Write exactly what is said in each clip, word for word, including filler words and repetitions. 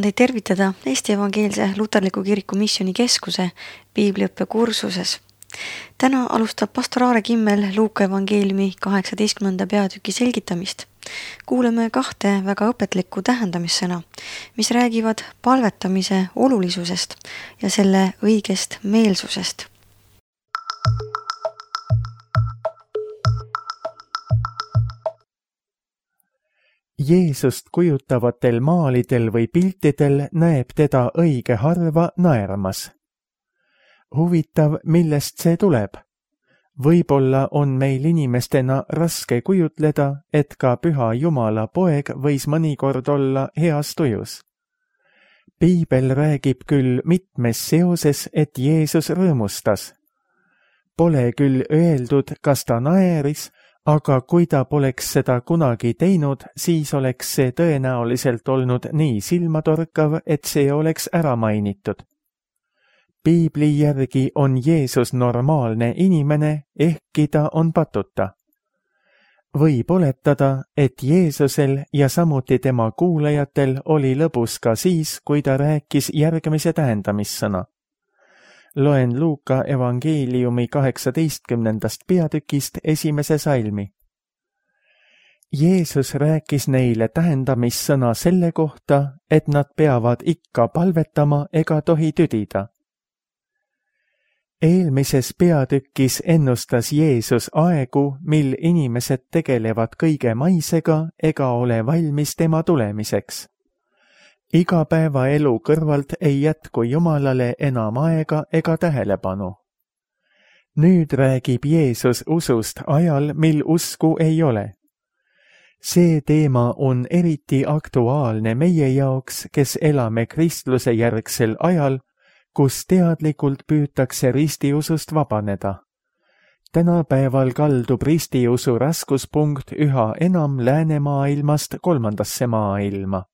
Tahan teid tervitada Eesti Evangeelse Luterliku Kiriku Missiooni Keskuse piibliõppe kursuses. Täna alustab pastor Aare Kimmel Luuka evangeeliumi kaheksateistkümnenda peatüki selgitamist. Kuuleme kahte väga õpetlikku tähendamissõna, mis räägivad palvetamise olulisusest ja selle õigest meelsusest. Jeesust kujutavatel maalidel või piltidel näeb teda õige harva naermas. Huvitav, millest see tuleb? Võib-olla on meil inimestena raske kujutleda, et ka püha Jumala poeg võis mõnikord olla heas tujus. Piibel räägib küll mitmes seoses, et Jeesus rõõmustas. Pole küll öeldud, kas ta naeris, aga kui ta poleks seda kunagi teinud, siis oleks see tõenäoliselt olnud nii silmatorkav, et see oleks ära mainitud. Piibli järgi on Jeesus normaalne inimene, ehkki ta on patuta. Võib oletada, et Jeesusel ja samuti tema kuulajatel oli lõbus ka siis, kui ta rääkis järgmise tähendamissõna. Loen Luuka evangeeliumi kaheksateistkümnendast peatükist esimese salmi. Jeesus rääkis neile tähendamissõna selle kohta, et nad peavad ikka palvetama ega tohi tüdida. Eelmises peatükis ennustas Jeesus aegu, mil inimesed tegelevad kõige maisega ega ole valmis tema tulemiseks. Igapäevaelu kõrvalt ei jätku Jumalale enam aega ega tähelepanu. Nüüd räägib Jeesus usust ajal, mil usku ei ole. See teema on eriti aktuaalne meie jaoks, kes elame kristluse järgsel ajal, kus teadlikult püütakse ristiusust vabaneda. Tänapäeval kaldub ristiusu raskuspunkt üha enam läänemaailmast kolmandasse maailma.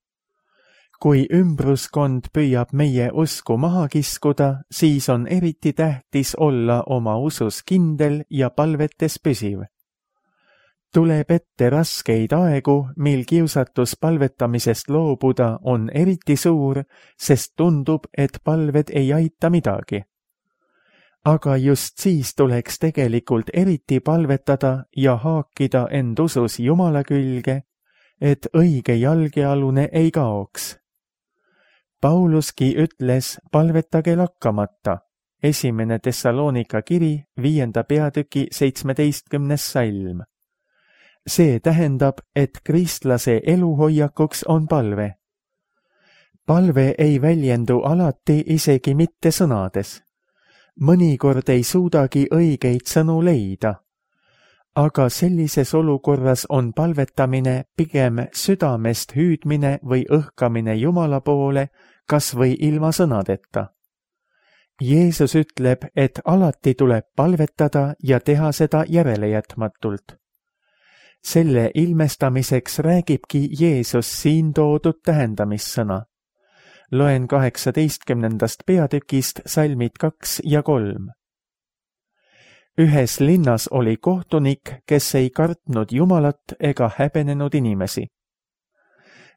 Kui ümbruskond püüab meie usku maha kiskuda, siis on eriti tähtis olla oma usus kindel ja palvetes püsiv. Tuleb ette raskeid aegu, mil kiusatus palvetamisest loobuda on eriti suur, sest tundub, et palved ei aita midagi. Aga just siis tuleks tegelikult eriti palvetada ja haakida end usus Jumala külge, et õige jalgealune ei kaoks. Pauluski ütles, palvetage lakkamata, esimene Thessalonika kiri, viienda peatüki seitsmeteistkümnes salm. See tähendab, et kristlase eluhoiakuks on palve. Palve ei väljendu alati isegi mitte sõnades. Mõnikord ei suudagi õigeid sõnu leida. Aga sellises olukorras on palvetamine pigem südamest hüüdmine või õhkamine Jumala poole, kas või ilma sõnadeta. Jeesus ütleb, et alati tuleb palvetada ja teha seda järelejätmatult. Selle ilmestamiseks räägibki Jeesus siin toodud tähendamissõna. Loen kaheksateistkümnendast peatükist salmid kaks ja kolm. Ühes linnas oli kohtunik, kes ei kartnud Jumalat ega häbenenud inimesi.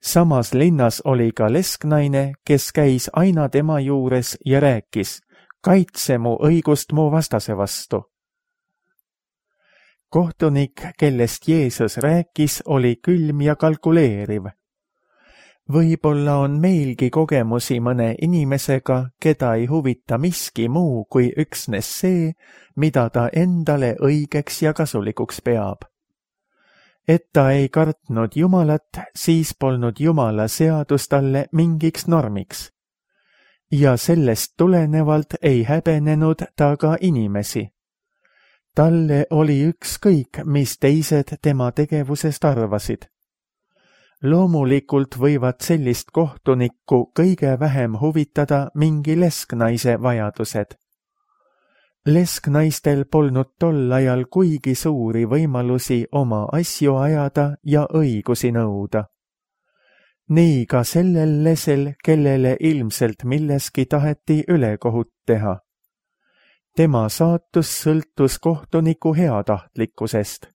Samas linnas oli ka lesknaine, kes käis aina tema juures ja rääkis, kaitse mu õigust mu vastase vastu. Kohtunik, kellest Jeesus rääkis, oli külm ja kalkuleeriv. Võib-olla on meilgi kogemusi mõne inimesega, keda ei huvita miski muu kui üksnes see, mida ta endale õigeks ja kasulikuks peab. Et ta ei kartnud Jumalat, siis polnud Jumala seadus talle mingiks normiks. Ja sellest tulenevalt ei häbenenud ta ka inimesi. Talle oli ükskõik, mis teised tema tegevusest arvasid. Loomulikult võivad sellist kohtunikku kõige vähem huvitada mingi lesknaise vajadused. Lesknaistel polnud tol ajal kuigi suuri võimalusi oma asju ajada ja õigusi nõuda. Nii ka sellel lesel, kellele ilmselt milleski taheti ülekohut teha. Tema saatus sõltus kohtuniku heatahtlikkusest.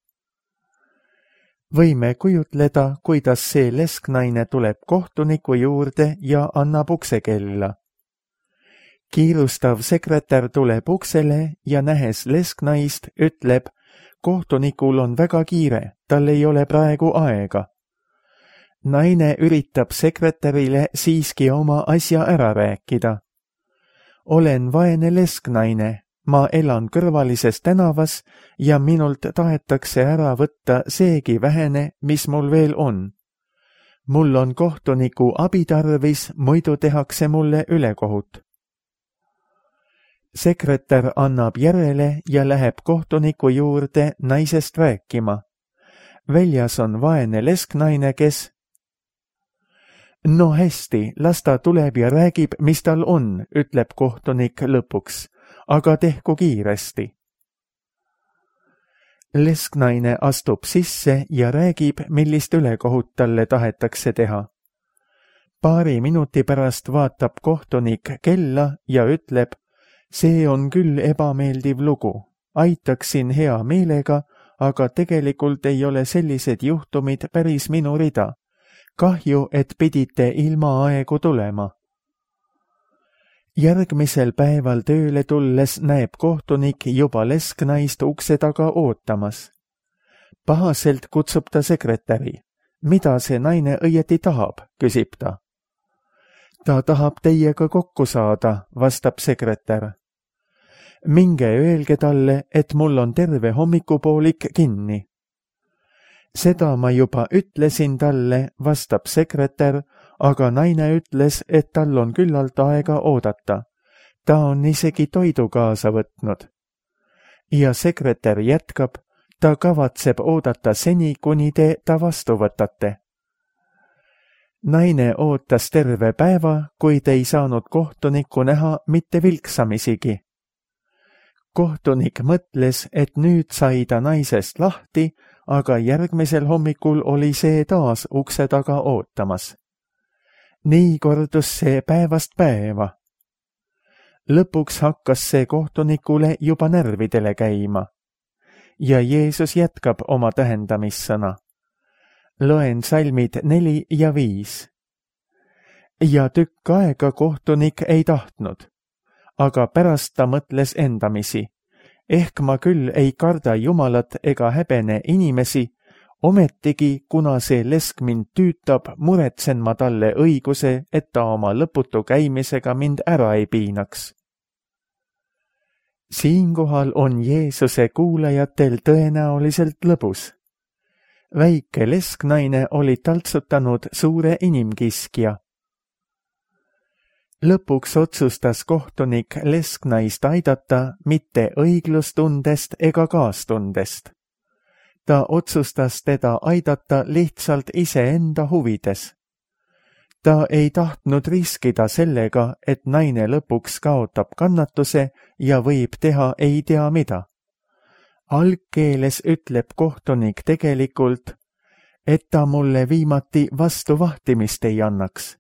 võime kujutleda, kuidas see lesknaine tuleb kohtuniku juurde ja annab uksekella. Kiirustav sekretär tuleb uksele ja nähes lesknaist, ütleb, kohtunikul on väga kiire, tal ei ole praegu aega. Naine üritab sekretärile siiski oma asja ära rääkida. Olen vaene lesknaine, ma elan kõrvalises tänavas ja minult tahetakse ära võtta seegi vähene, mis mul veel on. Mul on kohtuniku abi tarvis, muidu tehakse mulle ülekohut. Sekretär annab järele ja läheb kohtuniku juurde naisest rääkima. Väljas on vaene lesknaine, kes... No hästi, las ta tuleb ja räägib, mis tal on, ütleb kohtunik lõpuks, aga tehku kiiresti. Lesknaine astub sisse ja räägib, millist ülekohut talle tahetakse teha. Paari minuti pärast vaatab kohtunik kella ja ütleb, see on küll ebameeldiv lugu, aitaksin hea meelega, aga tegelikult ei ole sellised juhtumid päris minu rida. Kahju, et pidite ilma aegu tulema. Järgmisel päeval tööle tulles näeb kohtunik juba lesknaist ukse taga ootamas. Pahaselt kutsub ta sekretäri. Mida see naine õieti tahab, küsib ta. Ta tahab teiega kokku saada, vastab sekretär. Minge öelge talle, et mul on terve hommikupoolik kinni. Seda ma juba ütlesin talle, vastab sekretär, aga naine ütles, et tal on küllalt aega oodata. Ta on isegi toidu kaasa võtnud. Ja sekretär jätkab, ta kavatseb oodata seni, kuni te ta vastu võtate. Naine ootas terve päeva, kuid ei saanud kohtunikku näha mitte vilksamisigi. Kohtunik mõtles, et nüüd sai ta naisest lahti, aga järgmisel hommikul oli see taas ukse taga ootamas. Nii kordus see päevast päeva. Lõpuks hakkas see kohtunikule juba närvidele käima. Ja Jeesus jätkab oma tähendamissõna. Loen salmid neli ja viis. Ja tükk aega kohtunik ei tahtnud, aga pärast ta mõtles endamisi. Ehk ma küll ei karda Jumalat ega häbene inimesi, ometigi, kuna see lesk mind tüütab, muretsen ma talle õiguse, et ta oma lõputu käimisega mind ära ei piinaks. Siinkohal on Jeesuse kuulajatel tõenäoliselt lõbus. Väike lesknaine oli taltsutanud suure inimkiskja. Lõpuks otsustas kohtunik lesknaist aidata mitte õiglustundest ega kaastundest. Ta otsustas teda aidata lihtsalt iseenda huvides. Ta ei tahtnud riskida sellega, et naine lõpuks kaotab kannatuse ja võib teha ei tea mida. Algkeeles ütleb kohtunik tegelikult, et ta mulle viimati vastu vahtimist ei annaks.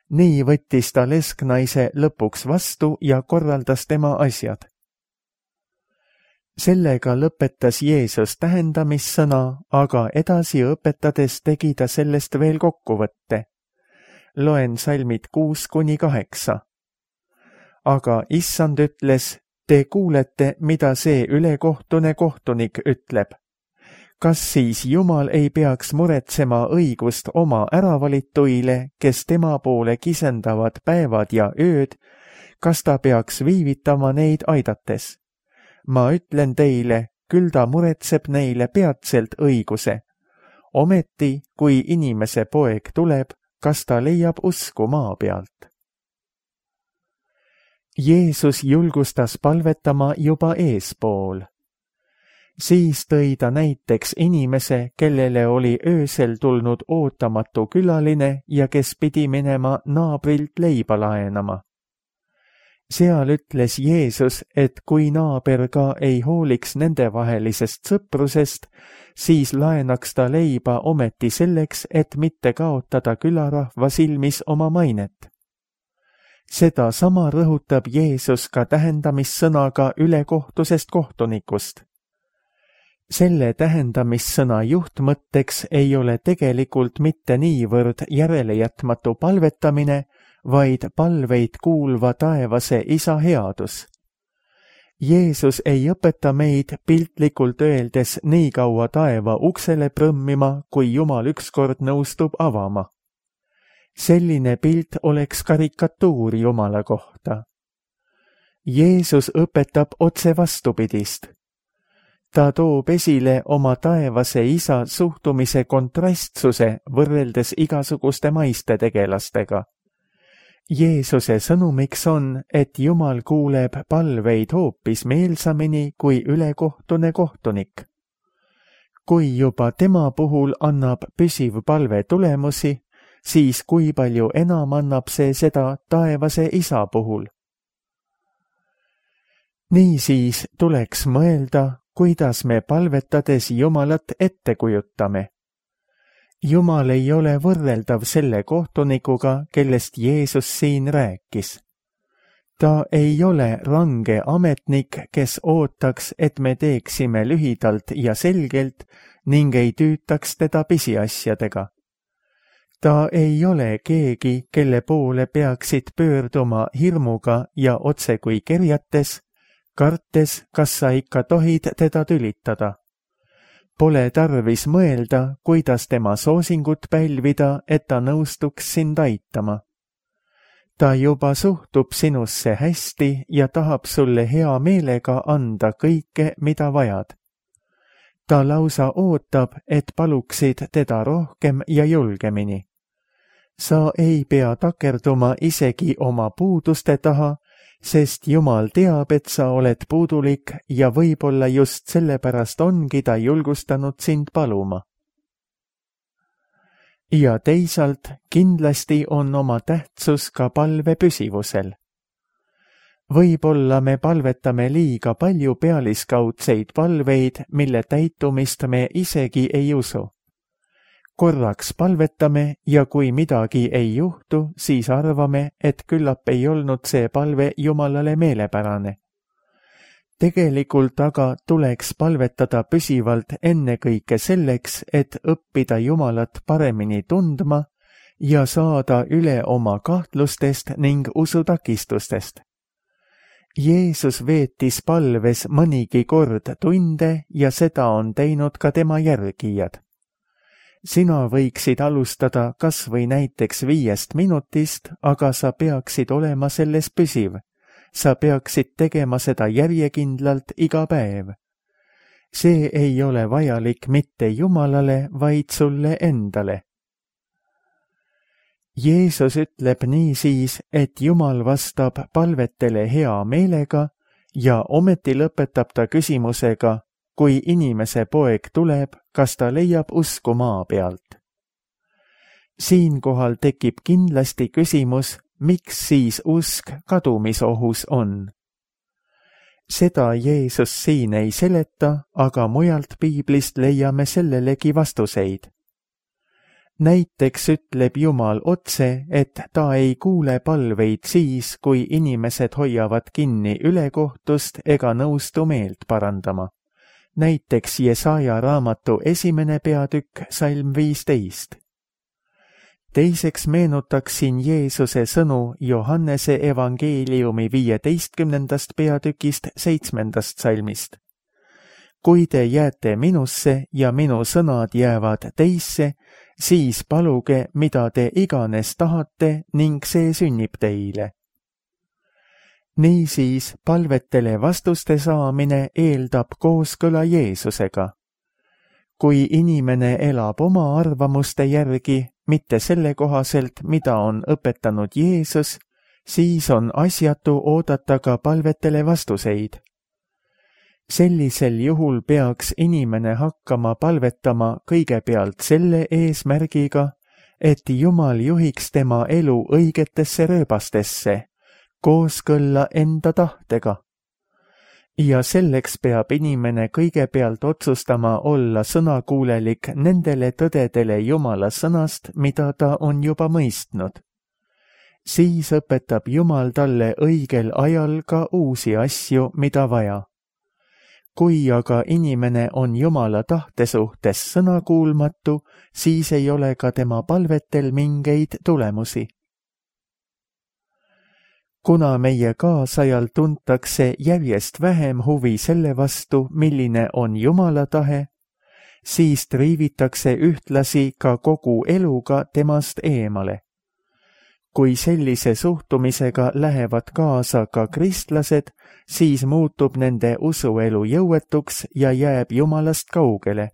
Nii võttis ta lesknaise lõpuks vastu ja korraldas tema asjad. Sellega lõpetas Jeesus tähendamissõna, aga edasi õpetades tegi ta sellest veel kokkuvõtte. Loen salmid kuus kuni kaheksa. Aga issand ütles, te kuulete, mida see ülekohtune kohtunik ütleb. Kas siis Jumal ei peaks muretsema õigust oma äravalituile, kes tema poole kisendavad päevad ja ööd, kas ta peaks viivitama neid aidates? Ma ütlen teile, küll ta muretseb neile peatselt õiguse. Ometi, kui inimese poeg tuleb, kas ta leiab usku maa pealt? Jeesus julgustas palvetama juba eespool. Siis tõi ta näiteks inimese, kellele oli öösel tulnud ootamatu külaline ja kes pidi minema naabrilt leiba laenama. Seal ütles Jeesus, et kui naaber ka ei hooliks nendevahelisest sõprusest, siis laenaks ta leiba ometi selleks, et mitte kaotada külarahva silmis oma mainet. Seda sama rõhutab Jeesus ka tähendamissõnaga ülekohtusest kohtunikust. selle tähendamissõna juhtmõtteks ei ole tegelikult mitte niivõrd järelejätmatu palvetamine, vaid palveid kuulva taevase Isa headus. Jeesus ei õpeta meid piltlikult öeldes nii kaua taeva uksele prõmmima, kui Jumal ükskord nõustub avama. Selline pilt oleks karikatuur Jumala kohta. Jeesus õpetab otse vastupidist. Ta toob esile oma taevase Isa suhtumise kontrastsuse võrreldes igasuguste maiste tegelastega. Jeesuse sõnumiks on, et Jumal kuuleb palveid hoopis meelsamini kui ülekohtune kohtunik. Kui juba tema puhul annab püsiv palve tulemusi, siis kui palju enam annab see seda taevase Isa puhul. Niisiis tuleks mõelda, kuidas me palvetades Jumalat ette kujutame. Jumal ei ole võrreldav selle kohtunikuga, kellest Jeesus siin rääkis. Ta ei ole range ametnik, kes ootaks, et me teeksime lühidalt ja selgelt ning ei tüütaks teda pisiasjadega. Ta ei ole keegi, kelle poole peaksid pöörduma hirmuga ja otse kui kerjates, kartes, kas sa ikka tohid teda tülitada. Pole tarvis mõelda, kuidas tema soosingut pälvida, et ta nõustuks sind aitama. Ta juba suhtub sinusse hästi ja tahab sulle hea meelega anda kõike, mida vajad. Ta lausa ootab, et paluksid teda rohkem ja julgemini. Sa ei pea takerduma isegi oma puuduste taha, sest Jumal teab, et sa oled puudulik ja võib-olla just sellepärast ongi ta julgustanud sind paluma. Ja teisalt kindlasti on oma tähtsus ka palve püsivusel. Võib-olla me palvetame liiga palju pealiskaudseid palveid, mille täitumist me isegi ei usu. Korraks palvetame ja kui midagi ei juhtu, siis arvame, et küllap ei olnud see palve Jumalale meelepärane. Tegelikult aga tuleks palvetada püsivalt ennekõike selleks, et õppida Jumalat paremini tundma ja saada üle oma kahtlustest ning usutakistustest. Jeesus veetis palves mõnigi kord tunde ja seda on teinud ka tema järgijad. Sina võiksid alustada kas või näiteks viiest minutist, aga sa peaksid olema selles püsiv. Sa peaksid tegema seda järjekindlalt iga päev. See ei ole vajalik mitte Jumalale, vaid sulle endale. Jeesus ütleb niisiis, et Jumal vastab palvetele hea meelega ja ometi lõpetab ta küsimusega, kui inimese poeg tuleb, kas ta leiab usku maa pealt. Siinkohal tekib kindlasti küsimus, miks siis usk kadumisohus on. Seda Jeesus siin ei seleta, aga mujalt piiblist leiame sellelegi vastuseid. Näiteks ütleb Jumal otse, et ta ei kuule palveid siis, kui inimesed hoiavad kinni ülekohtust ega nõustu meelt parandama. Näiteks Jesaja raamatu esimene peatükk, salm viisteist. Teiseks meenutaksin Jeesuse sõnu Johannese evangeeliumi viieteistkümnendast peatükist seitsmendast salmist. Kui te jääte minusse ja minu sõnad jäävad teisse, siis paluge, mida te iganes tahate ning see sünnib teile. Niisiis palvetele vastuste saamine eeldab kooskõla Jeesusega. Kui inimene elab oma arvamuste järgi, mitte selle kohaselt, mida on õpetanud Jeesus, siis on asjatu oodata ka palvetele vastuseid. Sellisel juhul peaks inimene hakkama palvetama kõigepealt selle eesmärgiga, et Jumal juhiks tema elu õigetesse rööbastesse, kooskõlla enda tahtega. Ja selleks peab inimene kõigepealt otsustama olla sõnakuulelik nendele tõdedele Jumala sõnast, mida ta on juba mõistnud. Siis õpetab Jumal talle õigel ajal ka uusi asju, mida vaja. kui aga inimene on Jumala tahte suhtes sõnakuulmatu, siis ei ole ka tema palvetel mingeid tulemusi. Kuna meie kaasajal tuntakse järjest vähem huvi selle vastu, milline on Jumala tahe, siis triivitakse ühtlasi ka kogu eluga temast eemale. Kui sellise suhtumisega lähevad kaasa ka kristlased, siis muutub nende usuelu jõuetuks ja jääb Jumalast kaugele.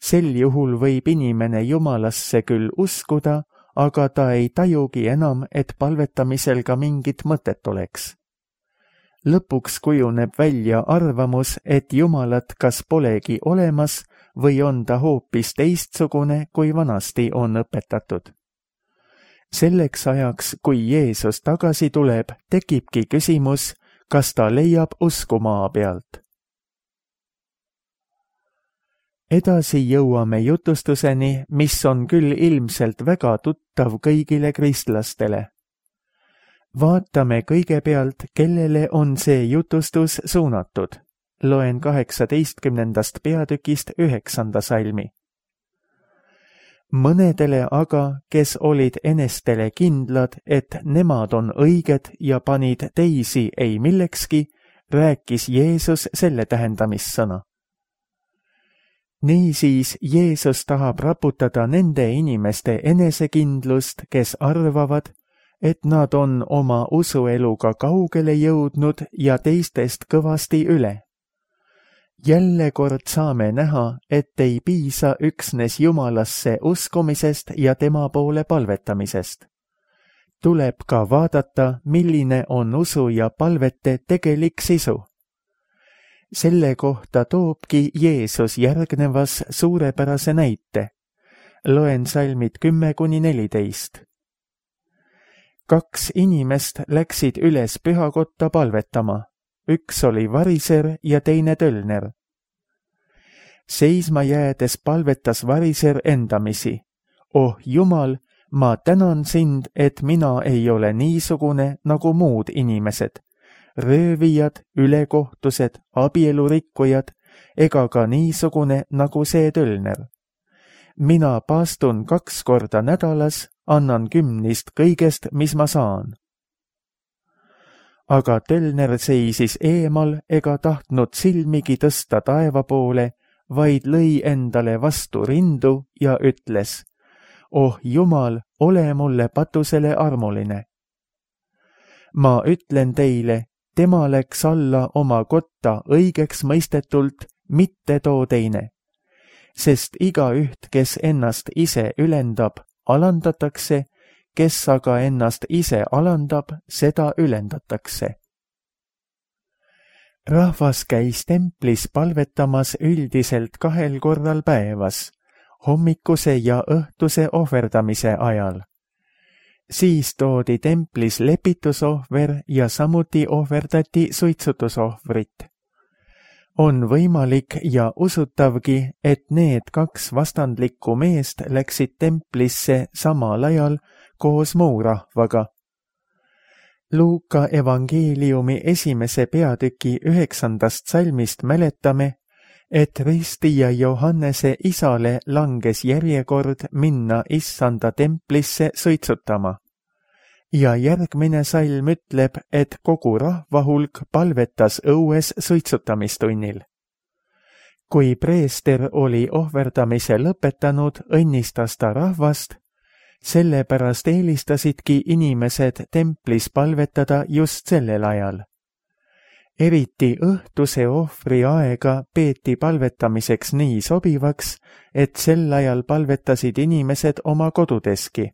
Sel juhul võib inimene Jumalasse küll uskuda, aga ta ei tajugi enam, et palvetamisel ka mingit mõtet oleks. Lõpuks kujuneb välja arvamus, et Jumalat kas polegi olemas või on ta hoopis teistsugune, kui vanasti on õpetatud. Selleks ajaks, kui Jeesus tagasi tuleb, tekibki küsimus, kas ta leiab usku maa pealt. Edasi jõuame jutustuseni, mis on küll ilmselt väga tuttav kõigile kristlastele. Vaatame kõigepealt, kellele on see jutustus suunatud. Loen kaheksateistkümnendast peatükist üheksanda salmi. Mõnedele aga, kes olid enestele kindlad, et nemad on õiged ja panid teisi ei millekski, rääkis Jeesus selle tähendamissõna. Niisiis Jeesus tahab raputada nende inimeste enesekindlust, kes arvavad, et nad on oma usueluga kaugele jõudnud ja teistest kõvasti üle. Jälle kord saame näha, et ei piisa üksnes Jumalasse uskumisest ja tema poole palvetamisest. Tuleb ka vaadata, milline on usu ja palvete tegelik sisu. Selle kohta toobki Jeesus järgnevas suurepärase näite. Loen salmid kümme kuni neliteist. Kaks inimest läksid üles pühakotta palvetama. Üks oli variser ja teine tölner. Seisma jäädes palvetas variser endamisi. Oh Jumal, ma tänan sind, et mina ei ole niisugune nagu muud inimesed. Röövijad, ülekohtused, abielurikkujad, ega ka niisugune nagu see tölner. Mina paastun kaks korda nädalas, annan kümnist kõigest, mis ma saan. Aga tölner seisis eemal ega tahtnud silmigi tõsta taeva poole, vaid lõi endale vastu rindu ja ütles, oh Jumal, ole mulle patusele armuline. Ma ütlen teile, tema läks alla oma kotta õigeks mõistetult, mitte too teine. Sest igaüht, kes ennast ise ülendab, alandatakse, kes aga ennast ise alandab, seda ülendatakse. Rahvas käis templis palvetamas üldiselt kahel korral päevas, hommikuse ja õhtuse ohverdamise ajal. Siis toodi templis lepitusohver ja samuti ohverdati suitsutusohvrit. On võimalik ja usutavgi, et need kaks vastandlikku meest läksid templisse samal ajal koos muu rahvaga. Luuka evangeeliumi esimese peatüki üheksandast salmist mäletame, et Risti ja Johannese isale langes järjekord minna issanda templisse suitsutama. Ja järgmine salm ütleb, et kogu rahvahulk palvetas õues suitsutamistunnil. Kui preester oli ohverdamise lõpetanud, õnnistas ta rahvast, sellepärast eelistasidki inimesed templis palvetada just sellel ajal. Eriti õhtuse ohvri aega peeti palvetamiseks nii sobivaks, et sel ajal palvetasid inimesed oma kodudeski.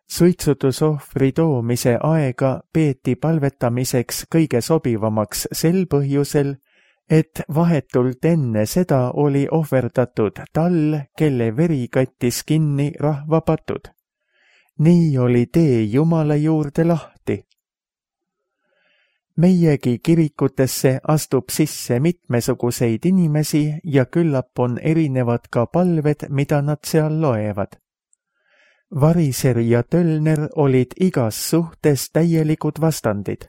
Suitsutusohvri toomise aega peeti palvetamiseks kõige sobivamaks sel põhjusel, et vahetult enne seda oli ohverdatud tall, kelle veri kattis kinni rahva patud. Nii oli tee Jumala juurde lahti. Meiegi kirikutesse astub sisse mitmesuguseid inimesi ja küllap on erinevad ka palved, mida nad seal loevad. Variser ja tölner olid igas suhtes täielikud vastandid.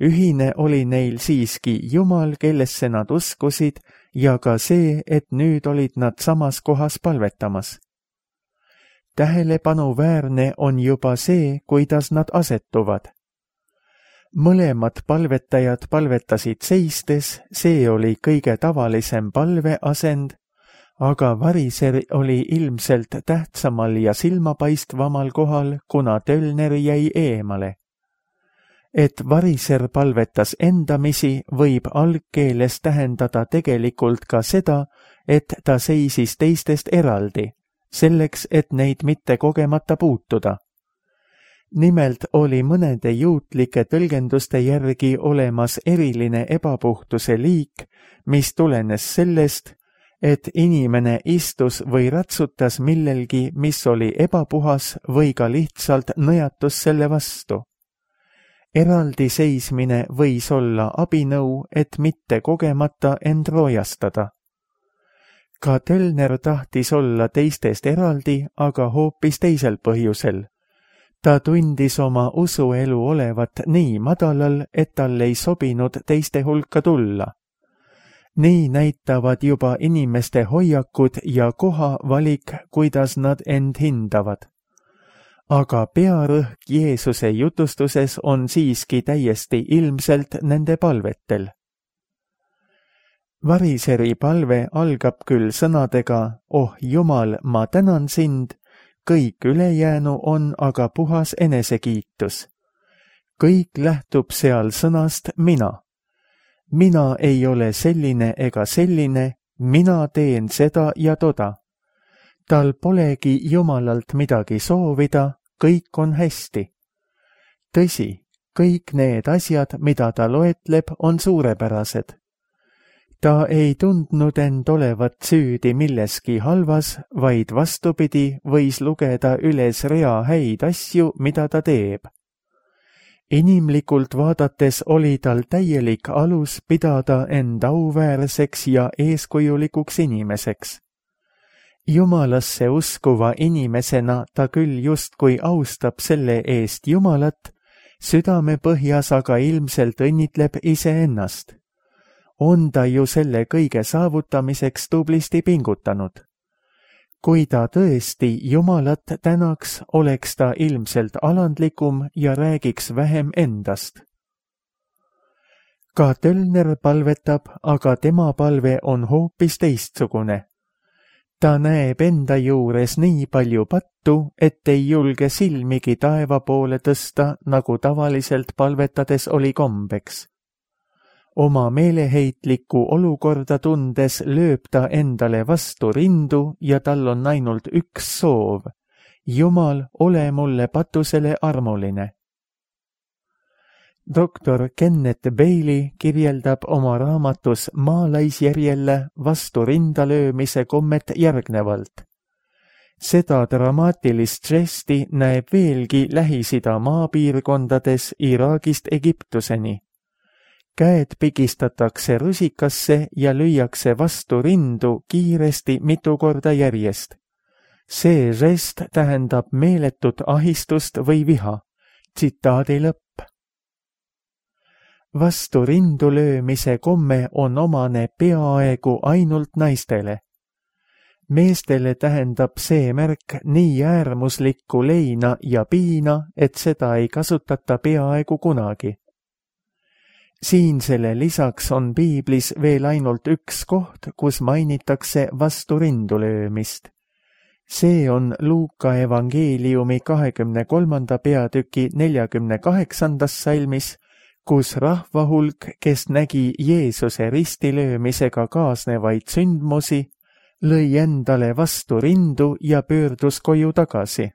ühine oli neil siiski Jumal, kellesse nad uskusid, ja ka see, et nüüd olid nad samas kohas palvetamas. Tähelepanuväärne on juba see, kuidas nad asetuvad. Mõlemad palvetajad palvetasid seistes, see oli kõige tavalisem palveasend, aga variser oli ilmselt tähtsamal ja silmapaistvamal kohal, kuna tölner jäi eemale. Et variser palvetas endamisi, võib algkeeles tähendada tegelikult ka seda, et ta seisis teistest eraldi, selleks, et neid mitte kogemata puutuda. Nimelt oli mõnede juutlike tõlgenduste järgi olemas eriline ebapuhtuse liik, mis tulenes sellest, et inimene istus või ratsutas millelgi, mis oli ebapuhas või ka lihtsalt nõjatus selle vastu. Eraldi seismine võis olla abinõu, et mitte kogemata end roojastada. Ka tölner tahtis olla teistest eraldi, aga hoopis teisel põhjusel. Ta tundis oma usuelu olevat nii madalal, et tal ei sobinud teiste hulka tulla. Nii näitavad juba inimeste hoiakud ja kohavalik, kuidas nad end hindavad. Aga pearõhk Jeesuse jutustuses on siiski täiesti ilmselt nende palvetel. Variseri palve algab küll sõnadega, oh Jumal, ma tänan sind, kõik ülejäänu on aga puhas enesekiitus. Kõik lähtub seal sõnast mina. Mina ei ole selline ega selline, mina teen seda ja toda. Tal polegi Jumalalt midagi soovida, kõik on hästi. Tõsi, kõik need asjad, mida ta loetleb, on suurepärased. Ta ei tundnud end olevat süüdi milleski halvas, vaid vastupidi võis lugeda üles rea häid asju, mida ta teeb. Inimlikult vaadates oli tal täielik alus pidada end auväärseks ja eeskujulikuks inimeseks. Jumalasse uskuva inimesena ta küll justkui austab selle eest Jumalat, südame põhjas aga ilmselt õnnitleb iseennast. On ta ju selle kõige saavutamiseks tublisti pingutanud. Kui ta tõesti Jumalat tänaks, oleks ta ilmselt alandlikum ja räägiks vähem endast. Ka tölner palvetab, aga tema palve on hoopis teistsugune. Ta näeb enda juures nii palju pattu, et ei julge silmigi taeva poole tõsta, nagu tavaliselt palvetades oli kombeks. Oma meeleheitlikku olukorda tundes lööb ta endale vastu rindu ja tal on ainult üks soov. Jumal, ole mulle patusele armuline. doktor Kenneth Bailey kirjeldab oma raamatus Maalaisjärjelle vastu rinda löömise kommet järgnevalt. Seda dramaatilist žesti näeb veelgi Lähis-Ida maapiirkondades Iraagist Egiptuseni. Käed pigistatakse rusikasse ja lüüakse vastu rindu kiiresti mitu korda järjest. See žest tähendab meeletut ahistust või viha. Tsitaadi lõpp. Vastu rindu löömise komme on omane peaaegu ainult naistele. Meestele tähendab see märk nii äärmuslikku leina ja piina, et seda ei kasutata peaaegu kunagi. Siinsele lisaks on piiblis veel ainult üks koht, kus mainitakse vastu rindu löömist. See on Luuka evangeeliumi kahekümne kolmanda peatüki neljakümne kaheksandas salmis, kus rahvahulk, kes nägi Jeesuse ristilöömisega kaasnevaid sündmusi, lõi endale vastu rindu ja pöördus koju tagasi.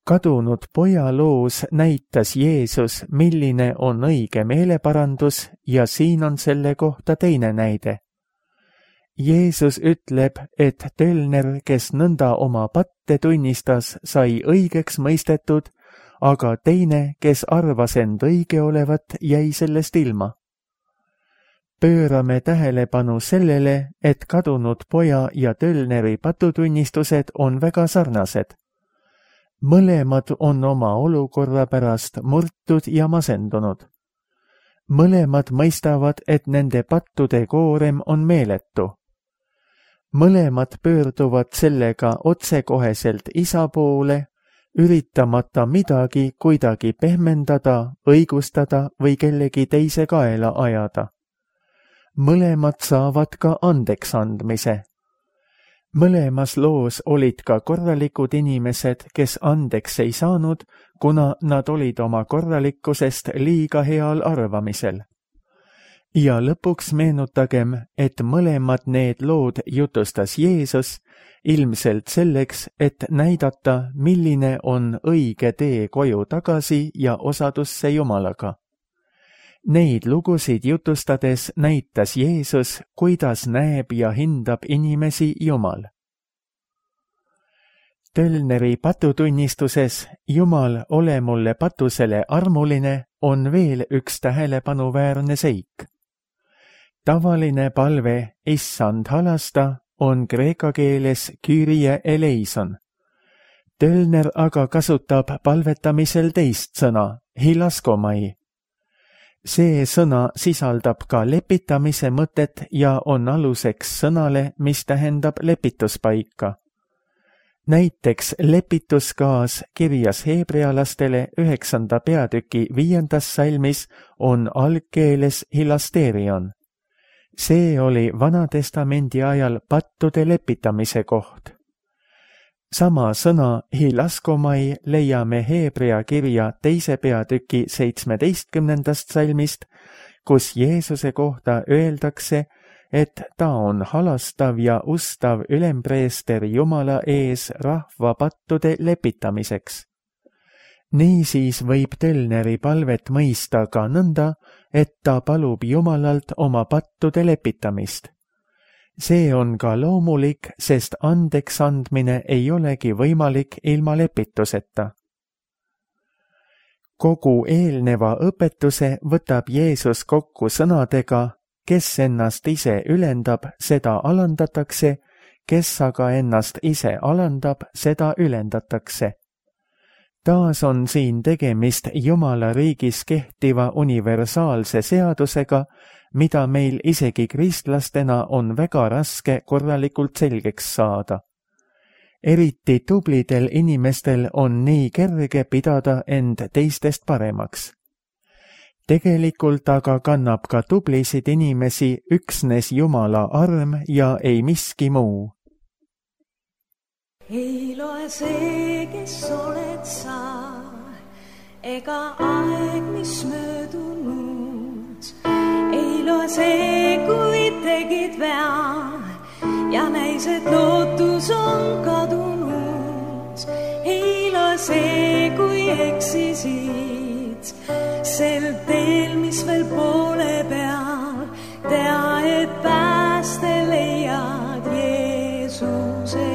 Kadunud poja loos näitas Jeesus, milline on õige meeleparandus ja siin on selle kohta teine näide. Jeesus ütleb, et tölner, kes nõnda oma patte tunnistas, sai õigeks mõistetud, aga teine, kes arvas end õige olevat, jäi sellest ilma. Pöörame tähelepanu sellele, et kadunud poja ja tölneri patutunnistused on väga sarnased. mõlemad on oma olukorra pärast murtud ja masendunud. mõlemad mõistavad, et nende pattude koorem on meeletu. mõlemad pöörduvad sellega otsekoheselt isa poole, üritamata midagi kuidagi pehmendada, õigustada või kellegi teise kaela ajada. mõlemad saavad ka andeks andmise. mõlemas loos olid ka korralikud inimesed, kes andeks ei saanud, kuna nad olid oma korralikkusest liiga heal arvamisel. ja lõpuks meenutagem, et mõlemad need lood jutustas Jeesus ilmselt selleks, et näidata, milline on õige tee koju tagasi ja osadusse Jumalaga. Neid lugusid jutustades näitas Jeesus, kuidas näeb ja hindab inimesi Jumal. Tölneri patutunnistuses Jumal, ole mulle patusele armuline on veel üks tähelepanuväärne seik. Tavaline palve Issand halasta on kreeka keeles Kyrie eleison. Tölner aga kasutab palvetamisel teist sõna, hilaskomai. See sõna sisaldab ka lepitamise mõtet ja on aluseks sõnale, mis tähendab lepituspaika. Näiteks lepituskaas kirjas heebrealastele üheksanda peatüki viiendas salmis on algkeeles hilasterion. See oli Vanatestamendi ajal pattude lepitamise koht. Sama sõna hilaskomai leiame Heebrea kirja teise peatüki seitsmeteistkümnendast salmist, kus Jeesuse kohta öeldakse, et ta on halastav ja ustav ülempreester Jumala ees rahva pattude lepitamiseks. Niisiis võib Tölneri palvet mõista ka nõnda, et ta palub Jumalalt oma pattude lepitamist. See on ka loomulik, sest andeks andmine ei olegi võimalik ilma lepituseta. Kogu eelneva õpetuse võtab Jeesus kokku sõnadega, kes ennast ise ülendab, seda alandatakse, kes aga ennast ise alandab, seda ülendatakse. Taas on siin tegemist Jumala riigis kehtiva universaalse seadusega, mida meil isegi kristlastena on väga raske korralikult selgeks saada. Eriti tublidel inimestel on nii kerge pidada end teistest paremaks. Tegelikult aga kannab ka tublisid inimesi üksnes Jumala arm ja ei miski muu. Ei loe see, kes oled sa, ega aeg, mis möödunud. Ei loe see, kui tegid vea ja näis, et lootus on kadunud. Ei loe see, kui eksisid sel teel, mis veel poole peal. Tea, et pääste leiad Jeesuse.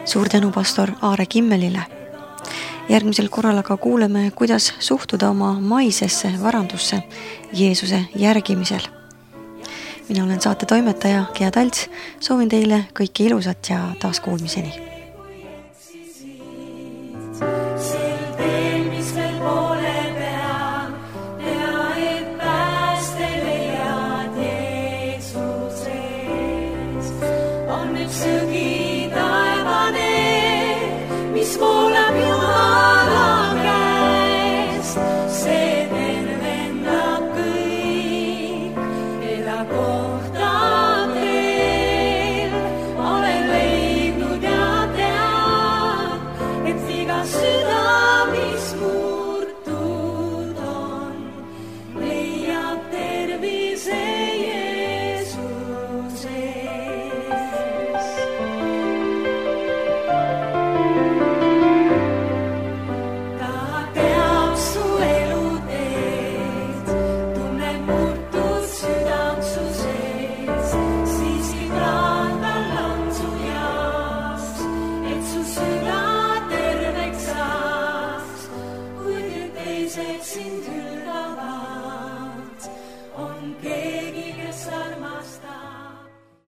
Suur tänu pastor Aare Kimmelile. Järgmisel korral aga kuuleme, kuidas suhtuda oma maisesse varandusse Jeesuse järgimisel. Mina olen saate toimetaja Gea Talts, soovin teile kõike ilusat ja taas kuulmiseni.